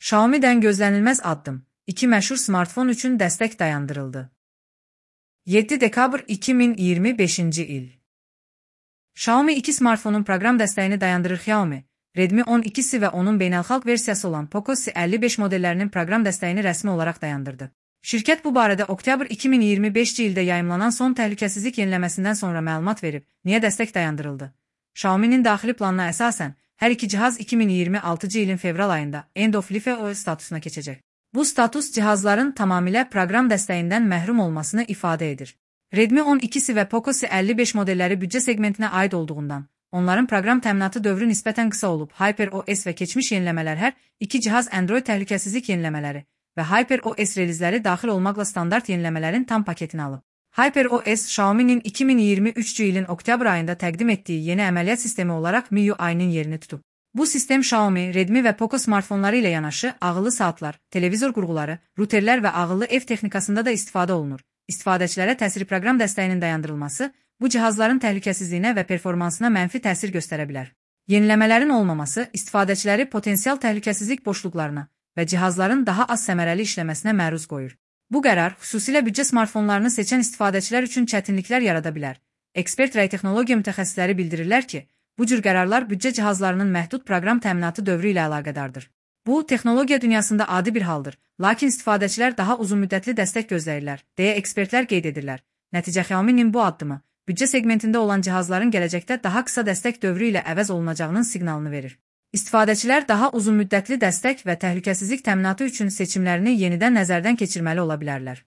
Xiaomi'dən gözlənilməz addım. 2 məşhur smartfon üçün dəstək dayandırıldı. 7 dekabr 2025-ci il. Xiaomi 2 smartfonun proqram dəstəyini dayandırır. Xiaomi, Redmi 12-si və onun beynəlxalq versiyası olan Poco C55 modellərinin proqram dəstəyini rəsmi olaraq dayandırdı. Şirkət bu barədə oktyabr 2025-ci ildə yayımlanan son təhlükəsizlik yeniləməsindən sonra məlumat verib. Niyə dəstək dayandırıldı? Xiaomi'nin daxili planına əsasən, hər iki cihaz 2026-cı ilin fevral ayında End of Life OS statusuna keçəcək. Bu status cihazların tamamilə proqram dəstəyindən məhrum olmasını ifadə edir. Redmi 12-si və Poco C55 modelləri büdcə segmentinə aid olduğundan, onların proqram təminatı dövrü nisbətən qısa olub. HyperOS və keçmiş yeniləmələr hər iki cihaz Android təhlükəsizlik yeniləmələri və HyperOS relizləri daxil olmaqla standart yeniləmələrin tam paketini alıb. HyperOS, Xiaomi'nin 2023-cü ilin oktyabr ayında təqdim etdiyi yeni əməliyyat sistemi olaraq MIUI-nin yerini tutub. Bu sistem Xiaomi, Redmi və Poco smartfonları ilə yanaşı ağıllı saatlar, televizor qurğuları, ruterlər və ağıllı ev texnikasında da istifadə olunur. İstifadəçilərə təsiri proqram dəstəyinin dayandırılması bu cihazların təhlükəsizliyinə və performansına mənfi təsir göstərə bilər. Yeniləmələrin olmaması istifadəçiləri potensial təhlükəsizlik boşluqlarına və cihazların daha az səmərəli işləməsinə məruz qoyur. Bu qərar xüsusilə büdcə smartfonlarını seçən istifadəçilər üçün çətinliklər yarada bilər. Ekspert və texnologiya mütəxəssisləri bildirirlər ki, bu cür qərarlar büdcə cihazlarının məhdud proqram təminatı dövrü ilə əlaqədardır. Bu, texnologiya dünyasında adi bir haldır, lakin istifadəçilər daha uzunmüddətli dəstək gözləyirlər, deyə ekspertlər qeyd edirlər. Nəticə Xiaomi'nin bu addımı, büdcə segmentində olan cihazların gələcəkdə daha qısa dəstək dövrü ilə əvəz olunacağının siqnalını verir. İstifadəçilər daha uzunmüddətli dəstək və təhlükəsizlik təminatı üçün seçimlərini yenidən nəzərdən keçirməli ola bilərlər.